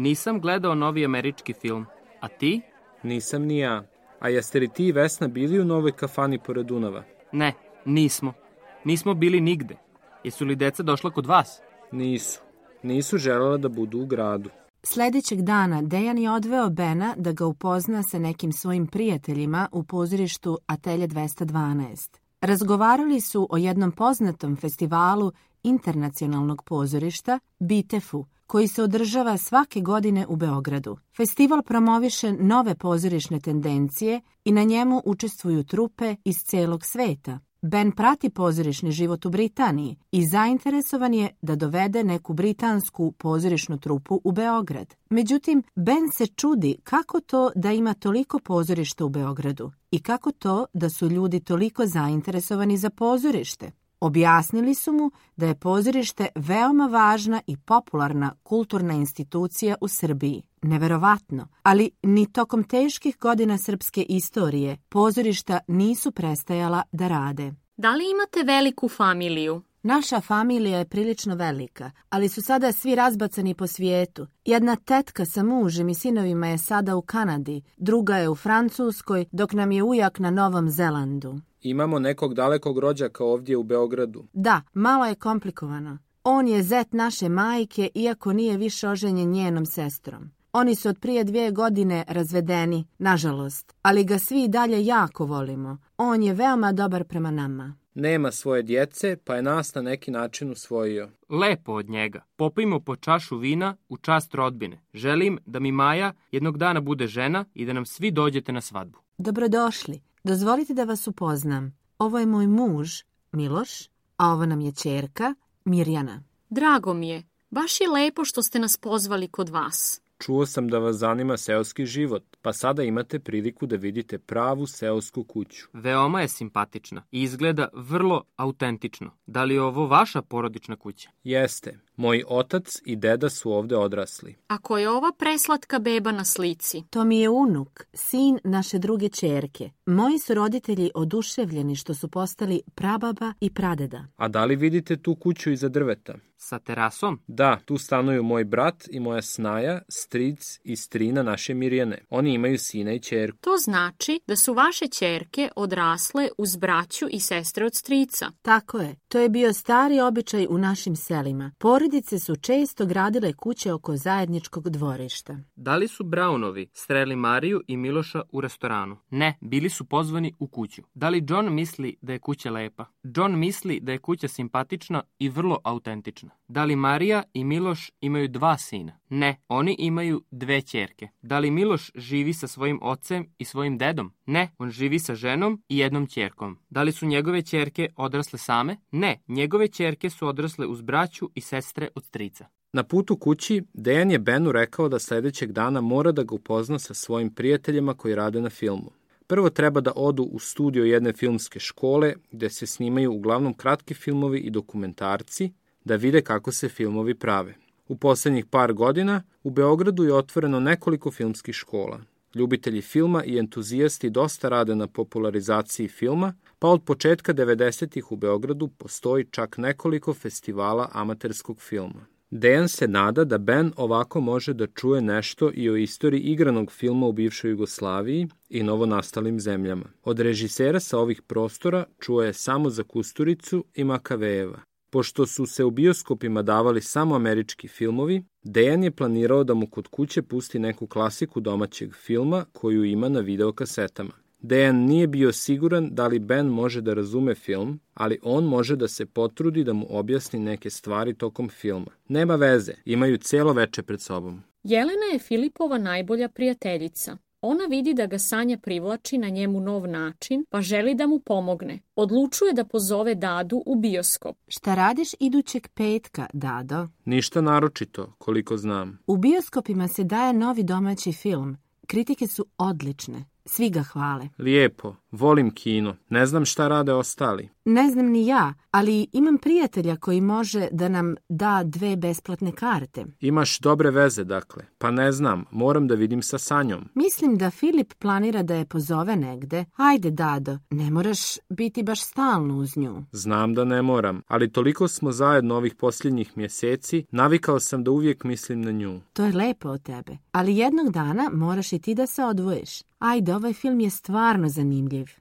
Nisam gledao novi američki film. A ti? Nisam ni ja. A jeste li ti i Vesna bili u novoj kafani pored Dunava? Ne, nismo. Nismo bili nigde. Jesu li deca došla kod vas? Nisu. Nisu želela da budu u gradu. Sljedećeg dana Dejan je odveo Bena da ga upozna sa nekim svojim prijateljima u pozorištu Atelje 212. Razgovarali su o jednom poznatom festivalu internacionalnog pozorišta, BITEF-u, koji se održava svake godine u Beogradu. Festival promoviše nove pozorišne tendencije i na njemu učestvuju trupe iz celog sveta. Ben prati pozorišni život u Britaniji i zainteresovan je da dovede neku britansku pozorišnu trupu u Beograd. Međutim, Ben se čudi kako to da ima toliko pozorišta u Beogradu i kako to da su ljudi toliko zainteresovani za pozorište. Objasnili su mu da je pozorište veoma važna i popularna kulturna institucija u Srbiji. Neverovatno, ali ni tokom teških godina srpske istorije pozorišta nisu prestajala da rade. Da li imate veliku familiju? Naša familija je prilično velika, ali su sada svi razbacani po svijetu. Jedna tetka sa mužem i sinovima je sada u Kanadi, druga je u Francuskoj, dok nam je ujak na Novom Zelandu. Imamo nekog dalekog rođaka ovdje u Beogradu. Da, malo je komplikovano. On je zet naše majke, iako nije više oženjen njenom sestrom. Oni su od prije 2 godine razvedeni, nažalost, ali ga svi dalje jako volimo. On je veoma dobar prema nama. Nema svoje djece, pa je nas na neki način usvojio. Lepo od njega. Popijmo po čašu vina u čast rodbine. Želim da mi Maja jednog dana bude žena i da nam svi dođete na svadbu. Dobrodošli. Dozvolite da vas upoznam. Ovo je moj muž, Miloš, a ovo nam je ćerka, Mirjana. Drago mi je. Baš je lepo što ste nas pozvali kod vas. Čuo sam da vas zanima seoski život, pa sada imate priliku da vidite pravu seosku kuću. Veoma je simpatična i izgleda vrlo autentično. Da li je ovo vaša porodična kuća? Jeste. Moj otac i deda su ovde odrasli. A ko je ova preslatka beba na slici? To mi je unuk, sin naše druge ćerke. Moji su roditelji oduševljeni što su postali prababa i pradeda. A da li vidite tu kuću iza drveta? Sa terasom? Da, tu stanuju moj brat i moja snaja, stric i strina naše Mirjane. Oni imaju sina i ćerku. To znači da su vaše ćerke odrasle uz braću i sestre od strica. Tako je. To je bio stari običaj u našim selima. Porodice su često gradile kuće oko zajedničkog dvorišta. Da li su Brownovi sreli Mariju i Miloša u restoranu? Ne, bili su pozvani u kuću. Da li John misli da je kuća lepa? John misli da je kuća simpatična i vrlo autentična. Da li Marija i Miloš imaju 2 sina? Ne, oni imaju 2 ćerke. Da li Miloš živi sa svojim ocem i svojim dedom? Ne, on živi sa ženom i jednom ćerkom. Da li su njegove ćerke odrasle same? Ne, njegove ćerke su odrasle uz braću i sestre od strica. Na putu kući, Dejan je Benu rekao da sljedećeg dana mora da ga upozna sa svojim prijateljima koji rade na filmu. Prvo treba da odu u studio jedne filmske škole gde se snimaju uglavnom kratki filmovi i dokumentarci, da vide kako se filmovi prave. U posljednjih par godina u Beogradu je otvoreno nekoliko filmskih škola. Ljubitelji filma i entuzijasti dosta rade na popularizaciji filma, pa od početka 90-ih u Beogradu postoji čak nekoliko festivala amaterskog filma. Dejan se nada da Ben ovako može da čuje nešto i o istoriji igranog filma u bivšoj Jugoslaviji i novonastalim zemljama. Od režisera sa ovih prostora čuo je samo za Kusturicu i Makavejeva. Pošto su se u bioskopima davali samo američki filmovi, Dejan je planirao da mu kod kuće pusti neku klasiku domaćeg filma koju ima na videokasetama. Dejan nije bio siguran da li Ben može da razume film, ali on može da se potrudi da mu objasni neke stvari tokom filma. Nema veze, imaju cijelo veče pred sobom. Jelena je Filipova najbolja prijateljica. Ona vidi da ga Sanja privlači na njemu nov način, pa želi da mu pomogne. Odlučuje da pozove Dadu u bioskop. Šta radiš idućeg petka, Dado? Ništa naročito, koliko znam. U bioskopima se daje novi domaći film. Kritike su odlične. Svi ga hvale. Lijepo. Volim kino. Ne znam šta rade ostali. Ne znam ni ja, ali imam prijatelja koji može da nam da 2 besplatne karte. Imaš dobre veze, dakle. Pa ne znam, moram da vidim sa Sanjom. Mislim da Filip planira da je pozove negde. Ajde, Dado, ne moraš biti baš stalno uz nju. Znam da ne moram, ali toliko smo zajedno ovih posljednjih mjeseci, navikao sam da uvijek mislim na nju. To je lepo od tebe, ali jednog dana moraš i ti da se odvojiš. Ajde, ovaj film je stvarno zanimljiv.